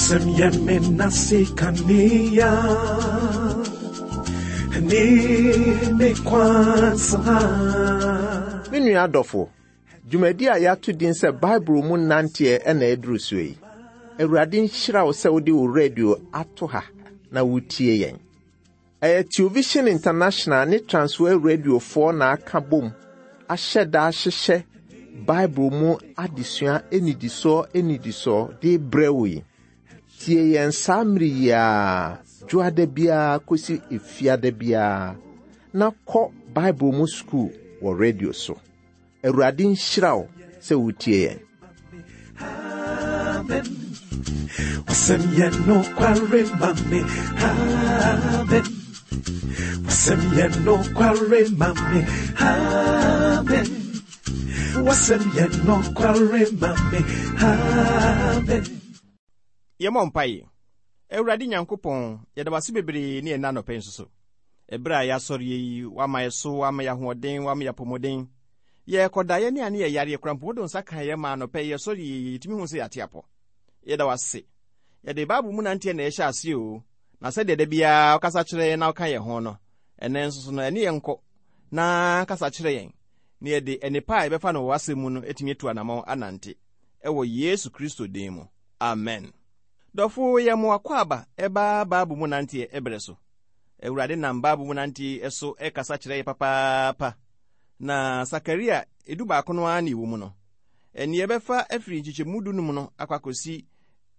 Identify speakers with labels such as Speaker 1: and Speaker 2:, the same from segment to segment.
Speaker 1: Wasɛm yɛ me nase kanea ne me kwan so ha.
Speaker 2: Me nua adɔfo, dwumadi a yɛato din sɛ Bible mu nanteɛ na ɛduru so yi. Awurade nhyira wo sɛ wode wo radio ato ha na wotie yɛn. Ɛyɛ Television International ne Transworld Radiofoɔ na aka bom ahyɛ da ahyehyɛ Bible mu adesua nnidisoɔ nnidisoɔ de brɛ wo yi. Tie yɛn saa mmere yi ara, dwoada biara kɔsi efiada biara, na kɔ Bible mu sukuu wɔ radio so. Awurade nhyira wo sɛ wotie yɛn.
Speaker 1: Amen. Wasɛm yɛ nokware ma me. Amen. Wasɛm yɛ nokware ma me. Amen. Wasɛm yɛ nokware ma me. Amen.
Speaker 3: Yɛmmɔ mpae. Awurade Nyankopɔn, yɛda wo ase bebree ne ɛnnɛ anɔpa yi nso so. Ɛberɛ a yɛasɔreɛ yi, woama yɛ so, woama yɛ ahoɔden, woama yɛ apɔmuden. Yɛrekɔda, yɛne a ne yɛyareɛ koraa mpo, wode wo nsa kaa yɛn maa anɔpa yi yɛsɔreɛ yi, yɛtumi hu sɛ yɛate apɔ. Yɛda wo ase. Yɛde Bible mu nanteɛ na ɛhyɛ aseɛ o, na sɛdeɛ da biara wokasa kyerɛ yɛn na woka yɛn ho no, ɛnnɛ nso so no, ɛne yɛn nkɔ na kasa kyerɛ yɛn, na yɛde nnepa a yɛbɛfa no wɔ w'asɛm mu no atumi atu anammɔn anante. Ɛwɔ Yesu Kristo din mu. Amen. Dɔfo, yɛ mo akwaaba ɛba Bible mu nanteɛ ɛberɛ so. Awurade nam Bible mu nanteɛ so ɛkasa kyerɛ yɛ papaapa. Na Sakaria edu baako no ara na ɛwɔ mu no. Ɛnneɛ ɛbɛfa afiri nkyekyɛmu dunum no akɔ akɔsi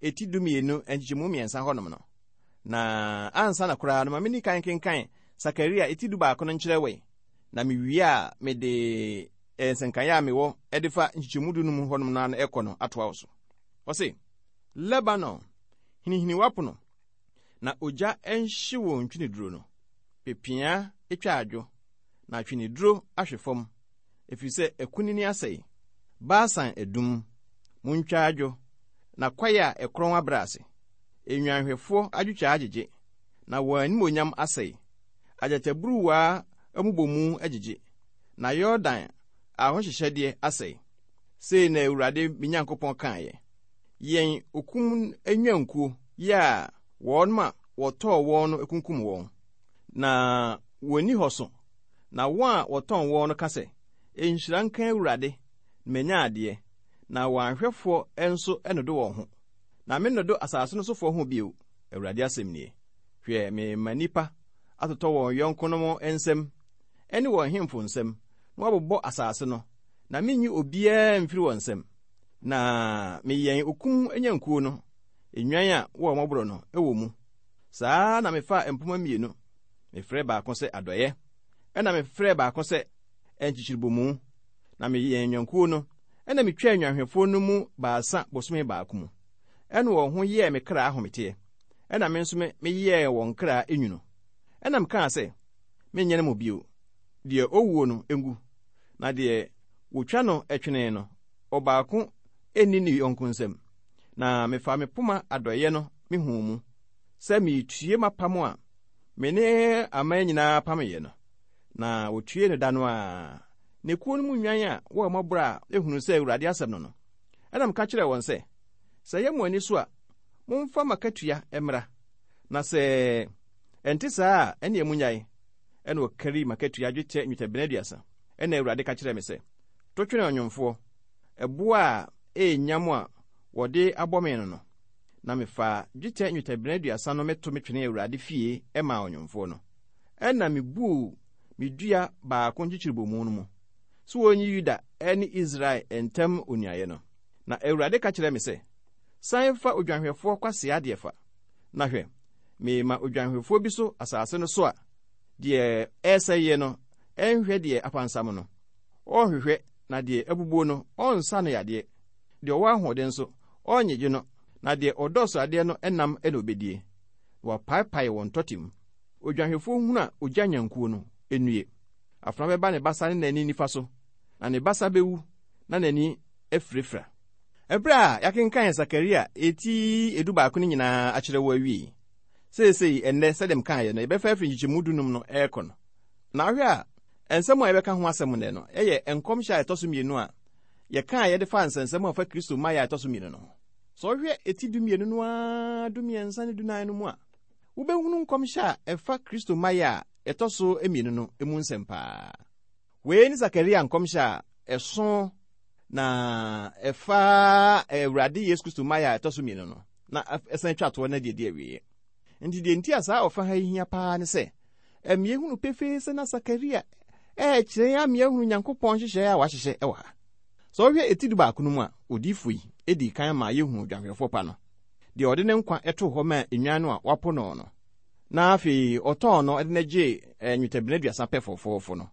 Speaker 3: eti dumienu nkyekyɛmu mmiɛnsa hɔnom no. Na ansa na koraa no, ma menni kan kenkan Sakaria eti dubaako no nkyerɛ wei. Na mewie a, mede nsɛnkaeɛ a mewɔ de fa nkyekyɛmu dunum hɔnom no ano ɛkɔ no atoa wo so. Ɔse, Lebanon, hinihini w'apono, na ogya nhye wo ntweneduro no. Pepeaa twa adwo, na atweneduro ahwe fam, ɛfiri sɛ akunini asɛe. Basan adum, montwa adwo, na kwaeɛ a ɛkorɔn abrɛ ase. Nnwanhwɛfoɔ adwotwa agyegye, na wɔn animuonyam asɛe. Agyataburuwa mmobɔmu agyegye, na Yordan ahohyehyɛdeɛ asɛe. Sei na Awurade me Nyankopɔn kaeɛ, Yɛn okum nnwankuo yi a wɔn a wɔtɔɔ wɔn no kunkum wɔn, na wɔnni hɔ so, na wɔn a wɔtɔn wɔn no ka sɛ, 'Nhyira nka Awurade, na manya adeɛ, na wɔn ahwɛfoɔ nso nnodo wɔn ho. Na mennodo asase no sofoɔ ho bio, Awurade asɛm nie. Hwɛ, merema nnipa atotɔ wɔn yɔnkonom nsam ne wɔn nhemfo nsam, na wɔabobɔ asase no, na merenyi obiara mfiri wɔn nsam. Na meyɛn okum nnwankuo no, nnwan a wɔwɔ mmɔborɔ no wɔ mu. Saa ara na mefaa mpoma mmienu, mefrɛɛ baako sɛ Adɔeɛ, ɛnna mefrɛɛ baako sɛ Nkyekyerebomu, na meyɛn nnwankuo no, ɛnna metwaa nnwanhwɛfoɔ no mu baasa bosome baako mu. Ɛnna wɔn ho yɛɛ me kra ahometeɛ, ɛnna me nso meyɛɛ wɔn kra nwunu. Ɛnna mekaa sɛ, Merenyɛne mo bio. Deɛ ɔwuo no ngu, na deɛ wɔtwa no twene no, ɔbaako nni ne yɔnko nsam. Na mefaa me poma adɔeɛ no mehuu mu, sɛ meretue m'apam a me ne aman nyinaa pameeɛ no. Na wɔtuee no da no ara. Na ekuo no mu nnwan a wɔwɔ mmɔborɔ a ɛhunuu sɛ Awurade asɛm no no, ɛnna meka kyerɛɛ wɔn sɛ, Sɛ ɛyɛ mo ani so a, momfa m'akatua mmra, na sɛ ɛnte saa a, ɛnneɛ monnyae. Ɛnna wɔkarii m'akatua dwetɛ nnwetɛbena aduasa. Ɛnna Awurade ka kyerɛɛ me sɛ, To twene ɔnwomfoɔ, ɛboɔ a ɛyɛ nyam a wɔde abɔ me no no. Na mefaa dwetɛ nnwetɛbena aduasa no meto metwenee Awurade fie maa ɔnwomfoɔ no. Ɛnna mibuu me dua baako nkyekyerebomu no mu, sɛ wonyi Yuda ne Israel ntam onuayɛ no. Na Awurade ka kyerɛɛ me sɛ, San fa odwanhwɛfoɔ kwasea deɛ fa, na hwɛ, merema odwanhwɛfoɔ bi so asase no so a deɛ ɛresɛeɛ no nhwɛ deɛ apansam no, ɔrenhwehwɛ, na deɛ abubuo no, ɔrensa no yadeɛ, deɛ ɔwɔ ahoɔden nso, ɔrennyegye no, na deɛ ɔdɔ sradeɛ no nam na ɔbɛdie, na wapaepae wɔn tɔte mu. Odwanhwɛfoɔ hunu a ɔgya nnwankuo no, nnue! Afena bɛba ne basa ne n'ani nifa so, na ne basa bɛwu na n'ani afirafira. Ɛberɛ a yɛakenkan Sakaria eti edubaako no nyinaa akyerɛ wo awie yi, seesei ɛnnɛ, sɛdeɛ mekaeɛ no, yɛbɛfa afiri nkyekyɛmu dunum no rekɔ no. Na wohwɛ a, nsɛm a yɛbɛka ho asɛm nnɛ no yɛ nkɔmhyɛ a ɛtɔ so mmienu a yɛkaeɛ de faa nsɛnsɛm a ɛfa Kristo mmaeɛ a ɛtɔ so mmienu no ho. Sɛ wohwɛ eti 12 no ara 13 ne 14 no mu a, wobɛhunu nkɔmhyɛ a ɛfa Kristo mmaeɛ a ɛtɔ so mmienu no mu nsɛm paa. Wei ne Sakaria nkɔmhyɛ a ɛso na ɛfa Awurade Yesu Kristo mmaeɛ a ɛtɔ so mmienu no, na ɛsan twa toɔ na deɛ ɛdi awieɛ. Nti deɛ nti a saa ɔfa ha yi hia paa ne sɛ, ɛma yɛhunu pefee sɛ na Sakaria ɛrekyerɛ yɛn ama yɛahunu Nyankopɔn nhyehyɛeɛ a wahyehyɛ wɔ ha. Sɛ wohwɛ eti 11 no mu a, odiyifo yi dii kan maa yɛhuu odwanhwɛfoɔ pa no, deɛ ɔde ne nkwa too hɔ maa nnwan no a wɔapo no no, na afei ɔtɔn no de no gyee nnwetɛbena 30 pɛ fɔfɔɔfɔ no.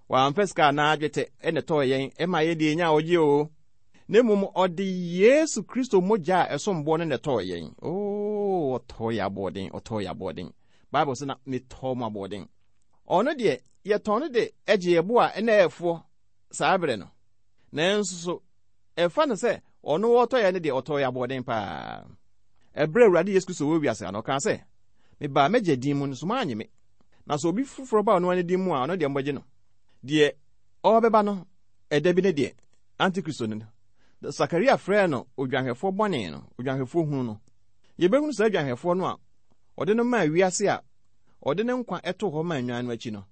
Speaker 3: Wamfa sika anaa dwetɛ na ɛtɔɔ yɛn ma yɛn deɛ yɛnyaa ɔgye oo, na mmom ɔde Yesu Kristo mogya a ɛsom boɔ no na ɛtɔɔ yɛn. Oo, ɔtɔɔ yɛn aboɔden, ɔtɔɔ yɛn aboɔden. Bible sɛ na metɔɔ mo aboɔden. Ɔno deɛ, yɛtɔn no de gye yɛn bo a ɛna ɛɛfoɔ saa berɛ no. Nanso so ɛfa no sɛ ɔno ɔtɔ yɛn no deɛ, ɔtɔɔ yɛn aboɔden paa. Ɛberɛ a Awurade Yesu Kristo wɔ wiase ha no, ɔkaa sɛ, Mebaa m'Agya din mu, nso moannye me. Na sɛ obi foforɔ ba ɔno ara ne din mu a, ɔno deɛ mobɛgye no. Deɛ ɔrebɛba no ɛda bi ne deɛ, Antikristo no. Sakaria frɛɛ no odwanhwɛfoɔ bɔne no, odwanhwɛfoɔ hunu no. Yɛbɛhunu saa odwanhwɛfoɔ no a ɔde no maa wiase a ɔde ne nkwa too hɔ maa nnwan no akyi no.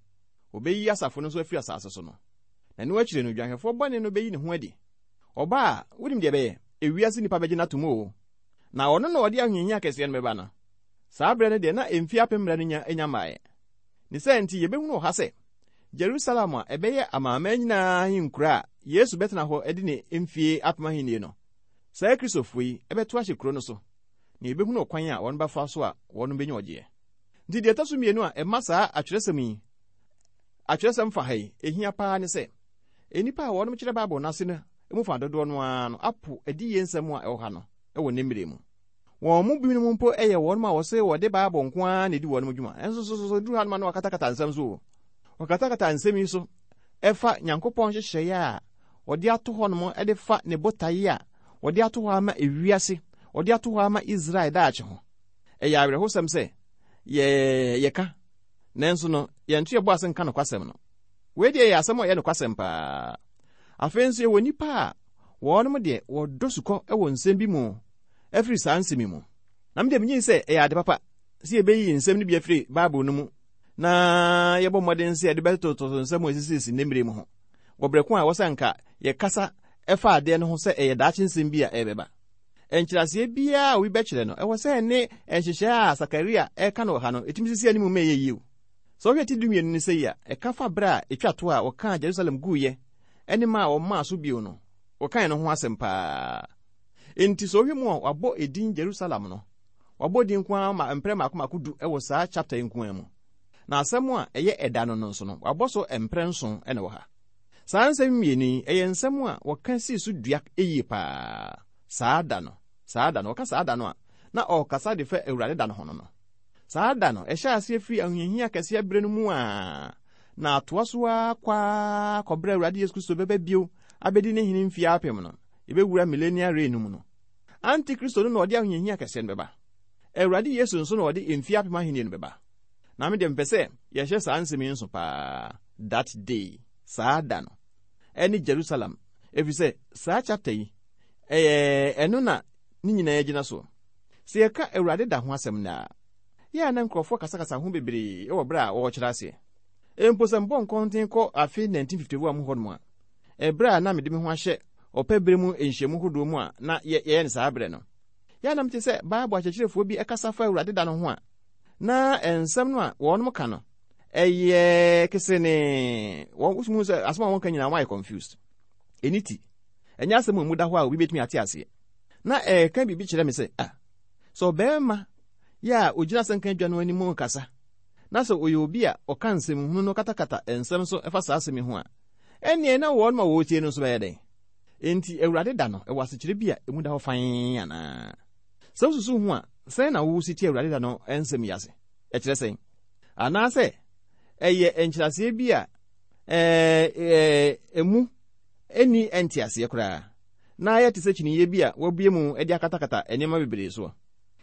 Speaker 3: Ɔbɛyi asafo no nso afiri asase so no. Na ɛno akyire no, odwanhwɛfoɔ bɔne no bɛyi ne ho adi. Ɔba a, wonim deɛ ɛbɛyɛ? Ewiase nnipa bɛgye no atom oo. Na ɔno na ɔde ahohiahia kɛseɛ no bɛba no. Saa berɛ no deɛ, na mfeɛ apem mmerɛ no nya nya mmaeɛ. Ne saa nti, yɛbɛhunu wɔ ha sɛ, Jerusalem a ɛbɛyɛ amanaman nyinaa ahenkuro a Yesu bɛtena hɔ adi ne mfeɛ apem ahennie no, saa Kristofoɔ yi bɛto ahyɛ kuro no so, na yɛbɛhunu ɔkwan a wɔbɛfa so a wɔbɛnya ɔgyeɛ. Nti deɛ ɛtɔ so mmienu a ɛma saa atwerɛsɛm yi, atwerɛsɛm fa ha yi, ɛhia paa ne sɛ, nnipa a wɔnom kyerɛ Bible no ase no mu fa dodoɔ no ara no apo adiyie nsɛm a ɛwɔ ha no wɔ ne mmerɛ mu. Wɔn mu binom mpo yɛ wɔnom a wɔse wɔde Bible nko ara na ɛdi wɔnom dwuma. Ɛnso so so duru hanom a na wɔakatakata nsɛm so o. Wɔkatakata nsɛm yi so ɛfa Nyankopɔn nhyehyɛeɛ a ɔde ato hɔnom de fa ne botaeɛ a ɔde ato hɔ ama ewiase, ɔde ato hɔ ama Israel daakye ho. Ɛyɛ awerɛhosɛm sɛ yɛ yɛka, nanso no yɛnto yɛn bo ase nka nokwasɛm no. Wei deɛ yɛ asɛm a ɛyɛ nokwasɛm paa. Afei nso yɛwɔ nnipa a wɔnom deɛ wɔdɔ sukɔ wɔ nsɛm bi mu afiri saa nsɛm yi mu. Na me deɛ megye sɛ ɛyɛ ade papa sɛ yɛbɛyi nsɛm no bi afiri Bible no mu na yɛbɔ mmɔden sɛ yɛde bɛtototo nsɛm a ɛsisisisi nnɛ mmerɛ mu ho wɔ berɛ ko a ɛwɔ sɛ anka yɛkasa ɛfa adeɛ no ho sɛ ɛyɛ daakye nsɛm bi a ɛrebɛba. Nkyerɛaseɛ biara a obi bɛkyerɛ no, ɛwɔ sɛ ɛne nhyehyɛɛ a Sakaria reka no wɔ ha no, ɛtumi sisi anim ma ɛyɛ yie. Sɛ wohwɛ ti 12 no sei a, ɛka fa berɛ a ɛtwa to a wɔkaa Jerusalem guiɛ ne ma a wɔmaa so bio no, wɔkae no ho asɛm paa. Enti sɛ wohwɛ mu a, wɔabɔ edin Jerusalem no, wɔabɔ din nko ara ma mprɛ mmaako mmaako du wɔ saa chapter yi nko ara mu. Na asɛm a ɛyɛ ɛda no no nso no, wɔabɔ so mprɛ nson na ɛwɔ ha. Saa nsɛm mmienu yi, ɛyɛ nsɛm a wɔka sii so dua yie paa. Saa da no, saa da no, wɔka saa da no a, na ɔrekasa de fa Awurade da no ho no no. Saa da no, ɛhyɛ aseɛ firi ahohiahia kɛseɛ berɛ no mu a, na atoa so ara kɔ ara kɔberɛ Awurade Yesu Kristo bɛba bio abɛdi ne hene mfeɛ apem no, yɛbɛwura millennial reign no mu no. Antikristo no na ɔde ahohiahia kɛseɛ no bɛba. Awurade Yesu nso na ɔde mfeɛ apem ahennie no bɛba. Na me deɛ mepɛ sɛ yɛhyɛ saa nsɛm yi nso paa, that day, saa da no, ɛne Jerusalem, ɛfiri sɛ saa chapter yi, ɛyɛ ɛno na ne nyinaa gyina soɔ. Sɛ yɛka Awurade da ho asɛm nnɛ a, yɛ a na nkurɔfoɔ kasakasa ho bebree wɔ berɛ a wɔrekyerɛ aseɛ. Mpo sɛ mebɔ nkɔnten kɔ afe 1951 mu hɔnom a, ɛberɛ a na mede me ho ahyɛ ɔpɛ berɛ mu nhyiamu hodoɔ mu a na yɛyɛ no saa berɛ no, yɛ a na mete sɛ Bible akyerɛkyerɛfoɔ bi kasa fa Awurade da no ho a, na nsɛm no a wɔnom ka no, ɛyɛ kesenee. Wɔn wotumi hu sɛ asɛm a wɔka nyinaa wɔayɛ confused. Ɛni ti. Ɛnyɛ asɛm a emu da hɔ a obi betumi ate aseɛ. Na ɛreka biribi kyerɛ me sɛ, ah, sɛ ɔbarima yɛ a ogyina asɛnka adwa no anim rekasa, na sɛ ɔyɛ obi a ɔka nsɛm hunu no katakata nsɛm so fa saa asɛm yi ho a, ɛnneɛ na wɔn a wɔretie no nso bɛyɛ dɛn? Enti Awurade da no, ɛwɔ asekyerɛ bi a emu da hɔ fann anaa? Sɛ wususuw ho a, sɛn na wusi te Awurade da no nsɛm yi ase? Ɛkyerɛ sɛn? Anaasɛ ɛyɛ nkyerɛaseɛ bi a emu nni nteaseɛ koraa, na ayɛ te sɛ kyiniiɛ bi a wɔabue mu de akatakata nneɛma bebree soɔ,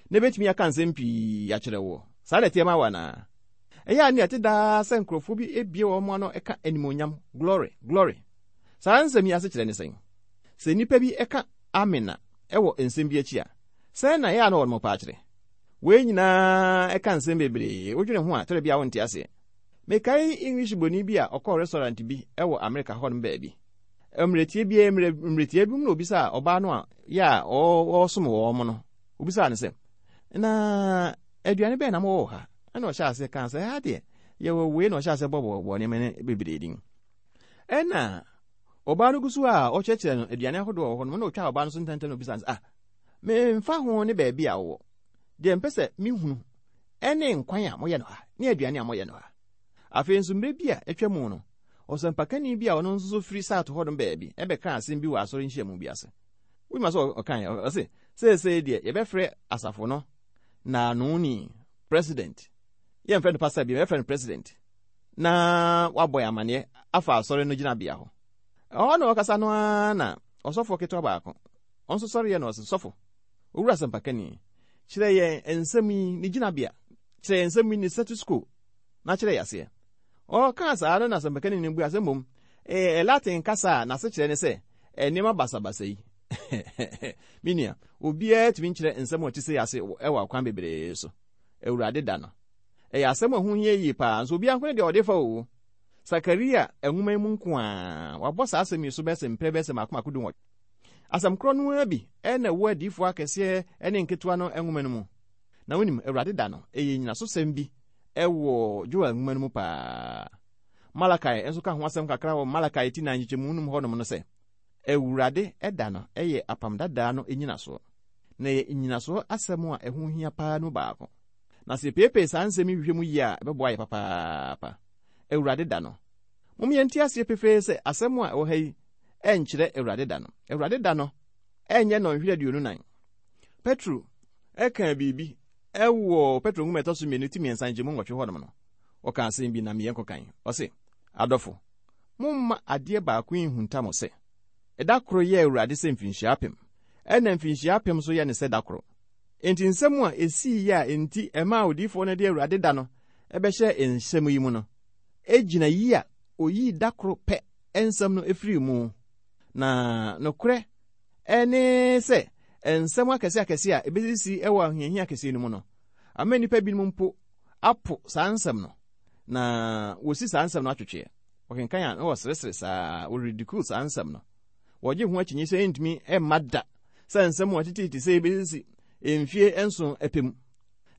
Speaker 3: na ebetumi aka nsɛm pii akyerɛ woɔ? Saa na ɛteɛ ma wo anaa? Ɛyɛ a nea ɛte daa sɛ nkurɔfoɔ bi bue wɔn ano ka animuonyam, glory, glory. Saa nsɛm yi asekyerɛ ne sɛn? Sɛ nnipa bi ka amen a, wɔ nsɛm bi akyi a, sɛn na ɛyɛ a na wɔnom paa kyerɛ? Wei nyinaa ɛka nsɛm bebree, wodwene ho a, tɛrɛ bi a wonte aseɛ. Mekae English broni bi a ɔkɔɔ restaurant bi wɔ Amerika hɔnom baabi. Mmerɛtie bi mmerɛ mmerɛtia bi mu na obisaa ɔbaa no a yɛ a ɔresom wɔn no, obisaa no sɛ, na aduane bɛn na mowɔ wɔ ha? Ɛna ɔhyɛ aseɛ kaa sɛ, ha deɛ yɛwɔ wei na ɔhyɛ aseɛ bɔbɔbɔ nneɛma no bebree din. Ɛna ɔbaa no gu so a ɔkyerɛkyerɛ no aduane ahodoɔ wɔ hɔ no, na ɔtwa ɔbaa no so ntɛmntɛm na obisa no sɛ, ah, memfa ho ne baabi a wowɔ. Deɛ mpɛ sɛ mehunu ɛne nkwan a moyɛ no ha ne aduane a moyɛ no ha. Afei nso mmerɛ bi a atwa mu no, ɔsɛmpakani bi a ɔno nso so firi South hɔnom baabi ɛbɛkaa asɛm bi wɔ asɔre nhyiamu bi ase. Wonim asɛ ɔkaeɛ? Ɔse, seesei deɛ yɛbɛfrɛ asafo no naanoni, president. Yɛmfrɛ no pastor bio, yɛbɛfrɛ no president. Na wabɔ yɛn amanneɛ afa asɔre no gyinabea ho. Ɛhɔ na ɔkasa no ara na ɔsɔfoɔ ketewa baako, ɔno nso sɔreɛ na ɔse, sɔfo, owura asɛmpakani, kyerɛ yɛn nsɛm yi ne gyinabea, kyerɛ yɛn nsɛm yi ne status quo, na kyerɛ yɛn aseɛ. Ɔkaa saa no na asɛmpakani no bua sɛ mmom, ɛyɛ Latin kasa a n'asekyerɛ ne sɛ nneɛma basabasa yi. Me nua, obiara tumi nkyerɛ nsɛm a ɛte sei ase wɔ akwan bebree so. Awurade da no. Ɛyɛ asɛm a ɛho hia yie paa, nso obiara nko ne deɛ ɔde fa o. Sakaria nwoma yi mu nko ara, wɔabɔ saa asɛm yi so bɛyɛ sɛ mprɛ bɛyɛ sɛ mmaako mmaako dunwɔtwe. Asɛm korɔ no ara bi na ɛwɔ adiyifoɔ akɛseɛ ne nketewa no nwoma no mu. Na wonim, Awurade da no, ɛyɛ nnyinasosɛm bi wɔ Joel nwoma no mu paa. Malakai nso ka ho asɛm kakra wɔ Malakai ti nan nkyekyɛmu num hɔnom no sɛ, Awurade da no yɛ apam dadaa no nnyinasoɔ, na ɛyɛ nnyinasoɔ asɛm a ɛho hia paa no mu baako. Na sɛ yɛpeepee saa nsɛm yi hwehwɛ mu yie a, ɛbɛboa yɛ papaapa. Awurade da no. Mom yɛnte aseɛ pefee sɛ asɛm a ɛwɔ ha yi ɛnkyerɛ Awurade da no. Awurade da no ɛnyɛ nnɔnhwere 24. Petro ɛkaa biribi ɛwɔ Petro nwoma ɛtɔ so mmienu ti mmiɛnsa nkyɛmu nwɔtwe hɔnom no. Ɔka asɛm bi na meyɛ nkɔkan. Ɔse, adɔfo, momma adeɛ baako yi nhunta mo sɛ, ɛda koro yɛ Awurade sɛ mfinhyia apem, ɛna mfinhyia apem nso yɛ ne sɛ da koro. Enti nsɛm a esii a enti ɛmaa odiyifoɔ no de Awurade da no bɛhyɛɛ nsɛm yi mu no, gyina yi a oyii da koro pɛ nsɛm no firii mu. Na nokorɛ ne sɛ nsɛm akɛse akɛse a ebesisi wɔ ahohiahia kɛseɛ no mu no, ama nnipa binom mpo apo saa nsɛm no, na wɔsi saa nsɛm no atwetweɛ. Wɔkenkan a na wɔseresere saa, wɔridicule saa nsɛm no. Wɔgye ho akyinnye sɛ ɛntumi mma da sɛ nsɛm a ɛtete te sɛ ebesisi mfie nson pɛ mu.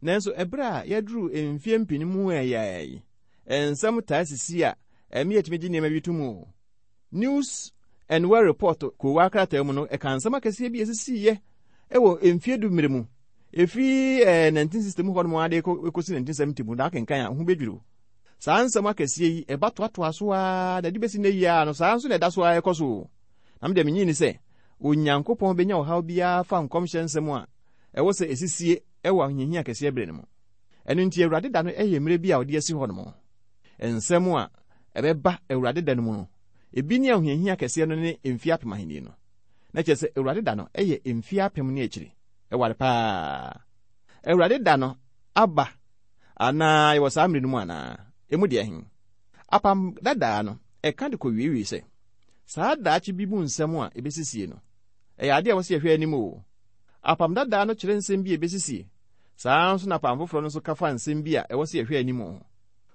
Speaker 3: Nanso ɛberɛ a yɛaduru mfie mpem mu ɛyɛ yi, nsɛm taa sisi a ɛma yɛtumi gye nneɛma bi to mu. News and World Report koowaa krataa mu no, ɛka nsɛm akɛseɛ bi a ɛsisiiɛ wɔ mfie du mmerɛ mu, ɛfiri eh, 1960 mu hɔnom ara de kɔsi 1970 mu, na akenkan a ho bɛdwiri wo. Saa nsɛm akɛseɛ yi, ɛba toatoa so ara na ɛde bɛsi nnɛ yi ara no, saa nso na ɛda so ara ɛkɔ so. Na me deɛ menye ni sɛ Onyankopɔn bɛnya ɔhaw biara fa nkɔmhyɛ nsɛm a ɛwɔ sɛ ɛsisie wɔ ahohiahia kɛseɛ berɛ no mu. Ɛno nti Awurade da no yɛ mmerɛ bi a ɔde asi hɔ nom. Nsɛm a ɛbɛba Awurade da no mu no, ebi ne ahohiahia kɛseɛ no ne mfeɛ apem ahennie no. Na kyerɛ sɛ Awurade da no yɛ mfeɛ apem ne akyiri. Ɛware paa. Awurade da no aba anaa yɛwɔ saa mmerɛ no mu anaa? Emu deɛ he? Apam dadaa no, ɛka de kɔwiewie sɛ, saa daakye bi mu nsɛm a ebesisie no, ɛyɛ ade a ɛwɔ sɛ yɛhwɛ anim o. Apam dadaa no kyerɛ nsɛm bi a ebesisie. Saa ara nso na apam foforɔ no nso ka fa nsɛm bi a ɛwɔ sɛ yɛhwɛ anim ho.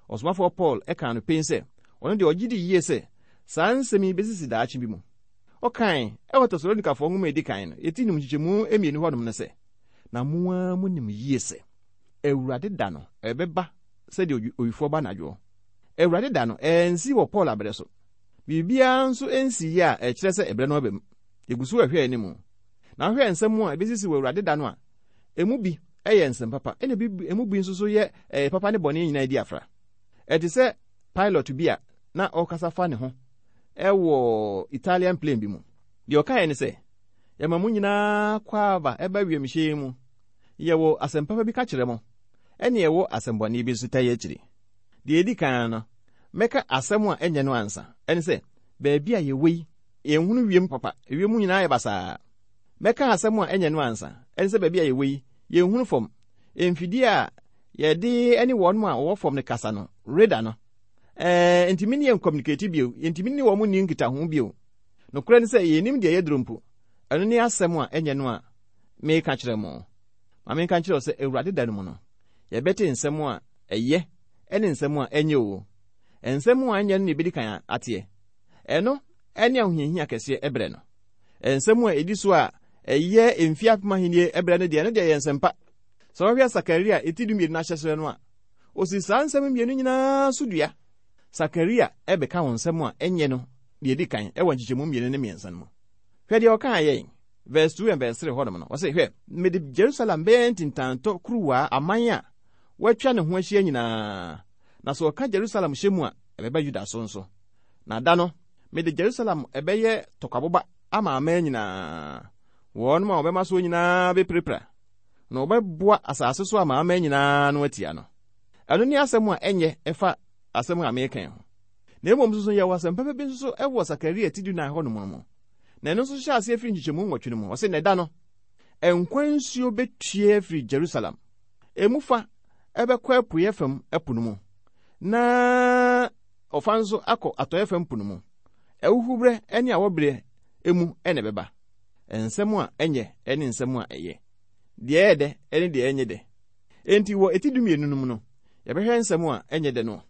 Speaker 3: Ɔsomafoɔ Paul kaa no pen sɛ ɔno deɛ ɔgye di yie sɛ saa nsɛm yi besisi daakye bi mu. Ɔkae wɔ Tesalonikafoɔ nwoma a edi kan no, eti num nkyekyɛmu mmienu hɔnom no sɛ, Na mo ara monim yie sɛ Awurade da no ɛbɛba sɛdeɛ owifoɔ ba anadwoɔ. Awurade da no ansi wɔ Paul abrɛ so. Biribiara nso nsiiɛ a ɛkyerɛ sɛ ɛberɛ no aba mu. Yɛgu so rehwɛ anim. Na wohwɛ nsɛm a ɛbɛsisi wɔ Awurade da no a, emu bi yɛ nsɛm papa, ɛna emu bi nso so yɛ ɛyɛ papa ne bɔne nyinaa di afra. Ɛte sɛ pilot bi a na ɔrekasa fa ne ho wɔ Italian plane bi mu. Deɛ ɔkaeɛ ne sɛ, Yɛma mo nyinaa akwaaba ɛba wiemhyɛn mu. Yɛwɔ asɛm papa bi ka kyerɛ mo, ɛne yɛwɔ asɛm bɔne bi nso tae akyiri. Deɛ ɛdi kan no, mɛka asɛm a ɛnyɛ no ansa. Ɛne sɛ, baabi a yɛwɔ yi, yɛnhunu wiem papa, ewiem nyinaa yɛ basaa. Mɛka asɛm a ɛnyɛ no ansa. Ɛne sɛ baabi a yɛwɔ yi, yɛnhunu fam. Mfidie a yɛde ne wɔn a wɔwɔ fam no kasa no, radar no, ɛɛ, ntumi ne yɛn communicate bio, yɛntumi ne wɔn nni nkitaho bio. Nokorɛ ne sɛ, yɛnnim deɛ yɛduru mpo. Ɛno ne asɛm a ɛnyɛ no a meka kyerɛ mo. Ma menka nkyerɛ wo sɛ Awurade da no mu no, yɛbɛte nsɛm a ɛyɛ ne nsɛm a ɛnyɛ o. Nsɛm a ɛnyɛ no na yɛbɛdi kan ateɛ. Ɛno ne ahohiahia kɛseɛ ɛberɛ no. Nsɛm a ɛdi so a ɛyɛ mfeɛ apem ahennie ɛberɛ no deɛ, ɛno deɛ ɛyɛ nsɛmpa. Sɛ wohwɛ Sakaria ti dumienu no ahyɛseɛ no a, ɔsi saa nsɛm mmienu nyinaa so dua. Sakaria bɛka wo nsɛm a ɛnyɛ no deɛ ɛdi kan wɔ nkyekyɛmu mmienu ne mmiɛnsa no mu. Hwɛ deɛ ɔkaa yɛn, verse 2 and verse 3 hɔnom no, ɔse, Hwɛ, mede Jerusalem bɛyɛ ntintantɔ kuruwaa aman a wɔatwa ne ho ahyia nyinaa, na sɛ wɔka Jerusalem hyɛ mu a, ɛbɛba Yuda so nso. Na da no, mede Jerusalem ɛbɛyɛ tɔkwaboba ama aman nyinaa. Wɔnom a wɔbɛma soɔ nyinaa bɛpirapira, na wɔbɛboa asase so amanaman nyinaa ano atia no. Ɛno ne asɛm a ɛnyɛ ɛfa asɛm a mereka yi ho. Na mmom nso yɛwɔ asɛm papa bi nso so wɔ Sakaria ti dunan hɔ nom no mu. Na ɛno nso hyɛ aseɛ firi nkyekyɛmu nwɔtwe no mu. Ɔse, Na ɛda no, nkwa nsuo bɛtue afiri Jerusalem. Emu fa ɛbɛkɔ apueɛ fam ɛpo no mu, na ɔfa nso akɔ atɔeɛ fam po no mu. Ahuhuberɛ ne awɔberɛ mu na ɛbɛba. Nsɛm a ɛnyɛ ne nsɛm a ɛyɛ. Deɛ ɛyɛ dɛ ne deɛ ɛnyɛ dɛ. Enti wɔ eti dumienu no mu no, yɛbɛhwɛ nsɛm a ɛnyɛ dɛ no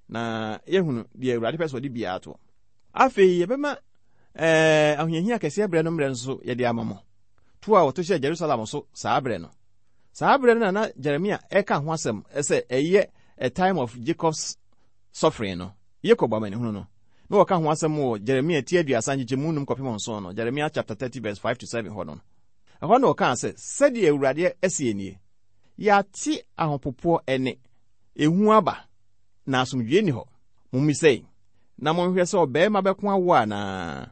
Speaker 3: na yɛahunu deɛ Awurade pɛ sɛ ɔde biara toɔ. Afei yɛbɛma ɛɛ ahohiahia kɛseɛ berɛ no mmerɛ nso yɛde ama mo. To a wɔto hyɛɛ Jerusalem so saa berɛ no. Saa berɛ no na na Jeremia ɛka ho asɛm sɛ ɛyɛ a time of Jacob's suffering no, Yakob amanehunu no. Na wɔka ho asɛm wɔ Jeremia ti aduasa nkyekyɛmu num kɔpem nson no, Jeremia chapter 30 verse 5 to 7 hɔ no. Ɛhɔ na ɔkaa sɛ, Sɛdeɛ Awurade seɛ nie, Yɛate ahopopoɔ nne, ehu aba, na asomdwoeɛ nni hɔ. Mommisa yi, na monhwɛ sɛ ɔbarima bɛko awoɔ anaa?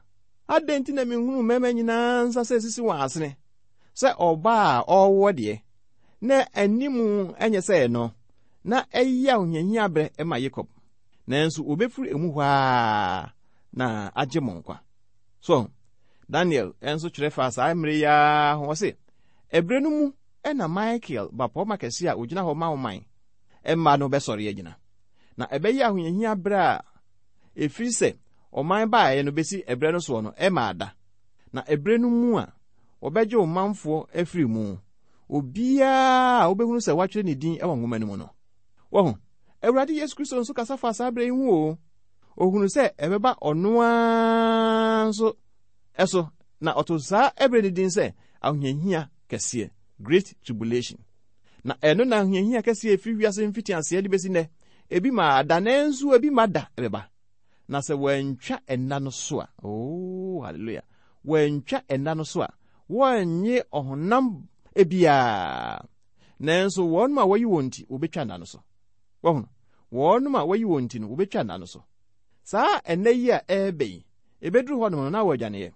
Speaker 3: Adɛn nti na menhunu mmarima nyinaa nsa sɛ ɛsisi wɔn asene, sɛ ɔbaa a ɔrewoɔ deɛ, na anim nyɛ sɛ ɛno, na ɛyɛ ahohiahia berɛ ma Yakob? Nanso wɔbɛfiri emu hɔ ara na agye mo nkwa. So Daniel nso kyerɛ faa saa mmere yi ara ho. Ɔse, ɛberɛ no mu na Michael, bapɔmma kɛse a ogyina hɔ ma wo man mma no bɛsɔre agyina. Na ɛbɛyɛ ahohiahia berɛ a ɛfiri sɛ ɔman baeɛ no bɛsi ɛberɛ no soɔ no ɛmmaa da. Na ɛberɛ no mu a wɔbɛgye wo manfoɔ afiri mu, obiara a wobɛhunu sɛ wɔatwerɛ ne din wɔ nwoma no mu no. Wahu? Awurade Yesu Kristo nso kasa faa saa berɛ yi ho o. Ohunu sɛ ɛbɛba ɔno ara nso so, na ɔtoo saa ɛberɛ no din sɛ ahohiahia kɛseɛ, Great Tribulation. Na ɛno na ahohiahia kɛseɛ ɛfiri wiase mfitiaseɛ de bɛsi nnɛ, ebi ma da nanso ebi ma da ɛbɛba. Na sɛ wɔantwa ɛnna no so a, oh, hallelujah, wɔantwa ɛnna no so a, wɔnnye ɔhonam biara. Nanso wɔn a wɔyi wɔn nti, wɔbɛtwa nna no so. Wɔhunu? Wɔnom a wɔayi wɔn ti no, wobetwa nna no so. Saa ɛnnɛ yi a ɛreba yi, ebeduru hɔnom no, na wɔadwaneɛ.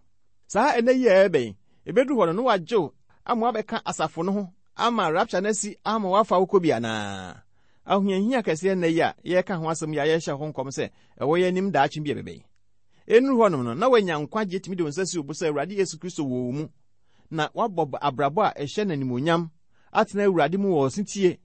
Speaker 3: Saa ɛnnɛ yi a ɛreba yi, ebeduru hɔ no, na wɔagye wo ama woabɛka asafo no ho ama rapture no asi ama wɔafa wo kɔ bi anaa? Ahohiahia kɛseɛ nna yi a yɛreka ho asɛm yi a yɛrehyɛ ho nkɔm sɛ ɛwɔ yɛn anim daakye bi a ɛbɛba yi. Ɛnnuru hɔnom no, na woanya nkwagyeɛ tumi de wo nsa si wo bo sɛ Awurade Yesu Kristo wɔ wo mu, na woabɔ abrabɔ a ɛhyɛ no animuonyam, atena Awurade mu wɔ ɔsetie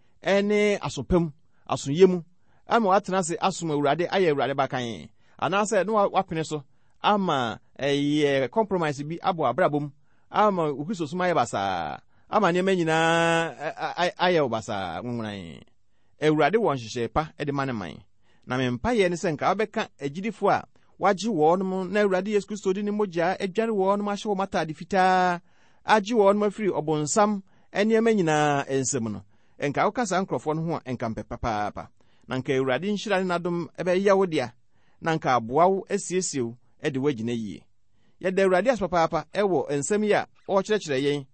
Speaker 3: ne aso pa mu, asoyɛ mu, ama watena ase asom Awurade ayɛ Awurade ba kann, anaasɛ na wapene so ama ɛyɛ compromise bi abɔ abrabɔ mu ama wo Kristosom ayɛ basaa, ama nneɛma nyinaa ayɛ wo basaa nwonwonan. Awurade wɔ nhyehyɛe pa de ma ne man. Na me mpaeɛ ne sɛ nka wobɛka agyidifoɔ a wagye wɔn na Awurade Yesu Kristo de ne mogya adware wɔn ahyɛ wɔn atade fitaa agye wɔn afiri ɔbonsam nneɛma nyinaa nsam no. Nka woka saa nkurɔfoɔ no ho a, nka mpɛ papaapa. Na nka Awurade nhyira ne n'adom bɛyɛ wo dea, na nka aboa wo asiesie wo de wo agyina yie. Yɛda Awurade ase papaapa wɔ nsɛm yi a ɔrekyerɛkyerɛ yɛn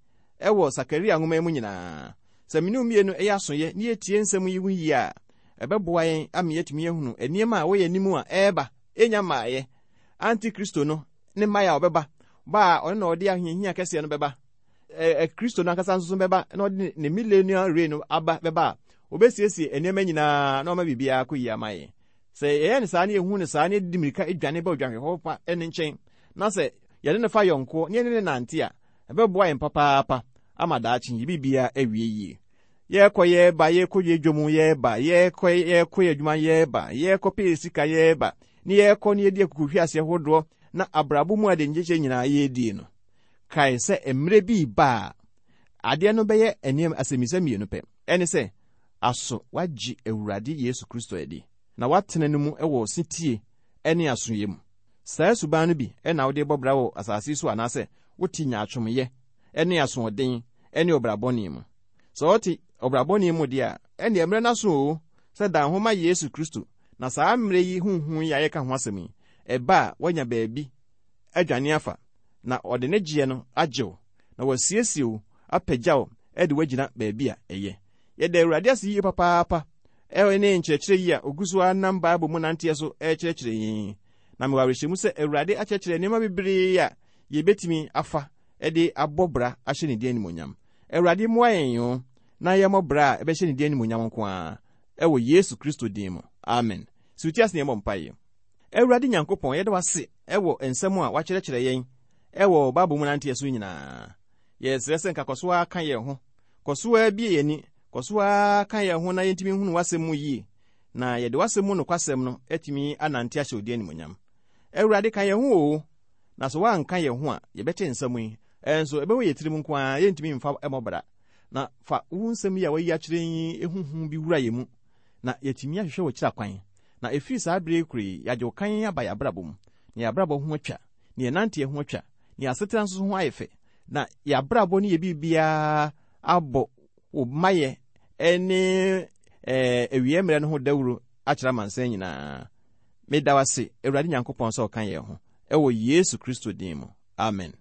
Speaker 3: wɔ Sakaria nwoma yi mu nyinaa. Sɛ me ne wo mmienu yɛ asoyɛ na yɛtie nsɛm yi ho yie a, ɛbɛboa yɛn ama yɛatumi ahunu nneɛma a ɛwɔ yɛn anim a ɛreba, ɛnnya mmaeɛ, Antikristo no ne mmaeɛ a ɔbɛba, ba a ɔno na ɔde ahohiahia kɛseɛ no bɛba, ɛ Kristo no ankasa nso bɛba na ɔde ne millennial reign no aba bɛba a, obesiesie nneɛma nyinaa na ɔma biribiara akɔ yie ama yɛn. Sɛ yɛyɛ no saa na yɛhu no saa na yɛde mmirika dwane ba odwanhwɛfo pa no nkyɛn na sɛ yɛne no fa yɔnkoɔ na yɛne no nante a, ɛbɛboa yɛn papaapa ama daakye yɛ biribiara awie yie. Yɛkɔ yɛba, yɛkɔ yɛ dwom yɛba, yɛkɔ yɛkɔ yɛ adwuma yɛba, yɛkɔ pɛ sika yɛba, ne yɛkɔ ne yɛdi akukuhweaseɛ hodoɔ na abrabɔ mu ade ngyekye nyinaa yɛdie no. Kae sɛ mmerɛ bi reba a, Adeɛ no bɛyɛ nneɛma asɛmmisa mmienu pɛ. Ɛne sɛ, aso woagye Awurade Yesu Kristo adi, na woatena no mu wɔ setie ne asoyɛ mu? Saa suban no bi na wode rebɔ bra wɔ asase yi so anaasɛ wote nyaatwomyɛ ne asoɔden ne ɔbra bɔne mu? Sɛ wote ɔbra bɔne mu deɛ a, ɛnneɛ mmerɛ no aso oo sɛ dan ho ma Yesu Kristo na saa mmerɛ yi ho hu yi a yɛreka ho asɛm yi, ɛba a woanya baabi adwane afa na ɔde ne gyeɛ no agye wo na wasiesie wo apagya wo de wo agyina baabi a ɛyɛ. Yɛda Awurade ase yie papaapa ne nkyerɛkyerɛ yi a ɔgu so ara nam Bible mu nanteɛ so rekyerɛkyerɛ yɛn yi. Na mewɔ awerɛhyɛmu sɛ Awurade akyerɛkyerɛ nneɛma bebree a yɛbɛtumi afa de abɔ bra ahyɛ ne din animuonyam. Awurade mmoa yɛn o na yɛmmɔ bra a ɛbɛhyɛ ne din animuonyam nko ara ɛwɔ Yesu Kristo din mu. Amen. Si wo ti ase na yɛmmɔ mpaeɛ. Awurade Nyankopɔn, yɛda wo ase wɔ nsɛm a woakyerɛkyerɛ yɛn wɔ Bible mu nanteɛ so nyinaa. Yɛsrɛ sɛ nka kɔ so ara ka yɛn ho, kɔ so ara bue yɛn ani, kɔ so ara ka yɛn ho na yɛntumi nhunu w'asɛm mu yie, na yɛde w'asɛm mu nokwasɛm no atumi anante ahyɛ wo din animuonyam. Awurade, ka yɛn ho oo, na sɛ woanka yɛn ho a, yɛbɛte nsɛm yi, nso ɛbɛwɔ yɛn tirim nko ara, yɛntumi mfa mmɔ bra. Na fa wo nsɛm yi a woayi akyerɛ yi ho hu bi wura yɛn mu, na yɛatumi ahwehwɛ w'akyiri akwan, na ɛfiri saa berɛ yi koro yi, yɛagye wo kann aba yɛn abrabɔ mu, na yɛn abrabɔ ho atwa, na yɛn nanteɛ ho atwa, na yɛn asetena nso ho ayɛ fɛ, na yɛn abrabɔ ne yɛn biribiara abɔ wo mayɛ ne awieɛ mmerɛ no ho dawuro akyerɛ amansan nyinaa. Meda wo ase, Awurade Nyankopɔn, sɛ ɔka yɛn ho, ɛwɔ Yesu Kristo din mu. Amen.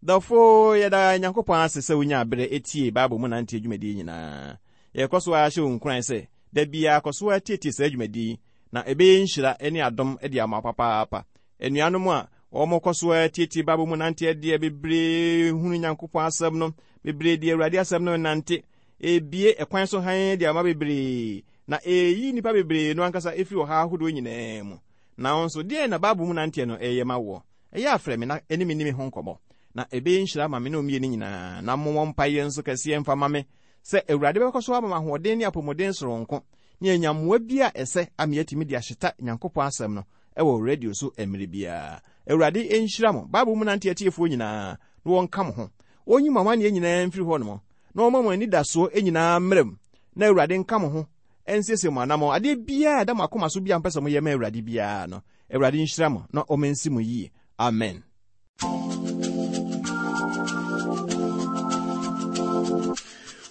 Speaker 3: Dɔfo, yɛda Nyankopɔn ase sɛ wonyaa berɛ tiee Bible mu nanteɛ dwumadie nyinaa. Yɛkɔ so ara hyɛ wo nkuran sɛ, da biara kɔ so ara tietie saa dwumadie yi, na ɛbɛyɛ nhyira ne adom de ama wo papaapa. Anuanom a wɔkɔ so ara tietie Bible mu nanteɛ deɛ bebree hunu Nyankopɔn asɛm no, bebree de Awurade asɛm no nante. Ebie ɛkwan so hann de ama bebree, na ɛyi nnipa bebree no ankasa ɛfiri ɔhaw ahodoɔ nyinaa mu. Na wo nso, deɛn na Bible mu nanteɛ no ɛyɛ ma woɔ? Ɛyɛ a frɛ me na ɛne me nni me ho nkɔmmɔ, na ɛbɛyɛ nhyira ama me ne wo mmienu nyinaa. Na mommɔ mpaeɛ nso kɛseɛ mfa mma me sɛ Awurade bɛkɔ so ama me ahoɔden ne apɔmuden soronko, ne anya mmoa bi a ɛsɛ ama yɛatumi de ahyeta Nyankopɔn asɛm no wɔ radio so mmerɛ biara. Awurade nhyira mo, Bible mu nante atiefoɔ nyinaa, na wɔnka mo ho. Ɔnyi mo amanneɛ nyinaa mfiri hɔ nom, na ɔmma mo anidasoɔ nyinaa mmra mu, na Awurade nka mo ho nsiesie mo anammɔn. Adeɛ biara a ɛda mo akoma so biara a mopɛ sɛ moyɛ ma Awurade biara no, Awurade nhyira mo na ɔma nsi mo yie. Amen.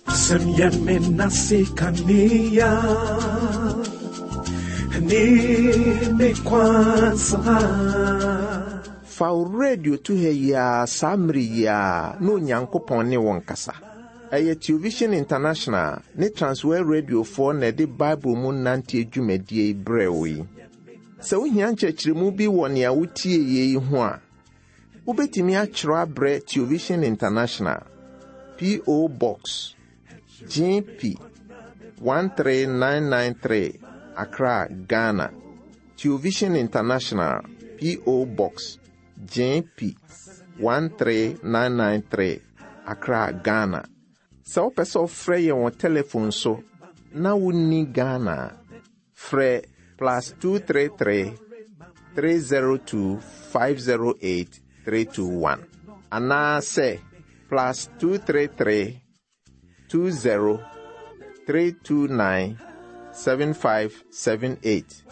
Speaker 1: Sɛm yɛ me nase kanea ne me kwan so ha.
Speaker 2: Fa wo radio to ha yi ara saa mmere yi ara na Onyankopɔn ne wo nkasa. Ɛyɛ Television International ne Transworld Radiofoɔ na ɛde Bible mu nanteɛ dwumadie yi brɛɛ wo yi. Sɛ wohia nkyerɛkyerɛmu bi wɔ nea wotieeɛ yi ho a, wobɛtumi akyerɛw abrɛ Television International, P.O. Box, GP 13993, Accra, Ghana. Television International, P.O. Box, GP 13993, Accra, Ghana. Sɛ wopɛ sɛ wofrɛ yɛn wɔ telefon so na wonni Ghana a, frɛ plus 233 302 508 321 anaasɛ plus 233 20 329 7578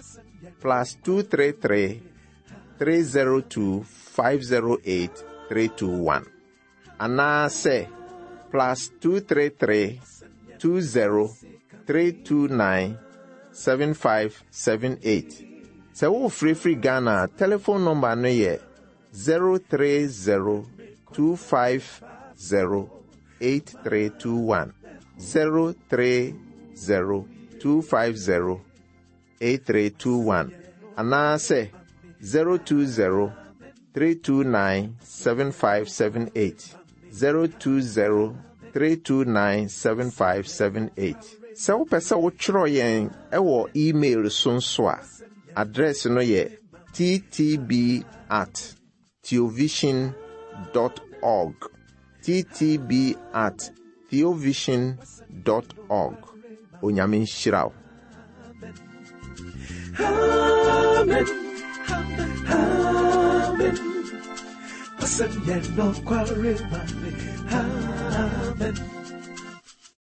Speaker 2: plus 233 302 508 321 anaasɛ plus 233 20 329 7578. Sɛ worefrɛfiri Ghana a, telefon nɔmba no yɛ 030 250 8321. 030 250 8321 anaasɛ 020 329 7578 020 329 7578. Sɛ wopɛ sɛ wotwerɛ yɛn wɔ email so nso a, address no yɛ ttb at theovision dot org ttb at theovision dot org Onyame nhyira wo.
Speaker 1: Amen. Amen. Amen.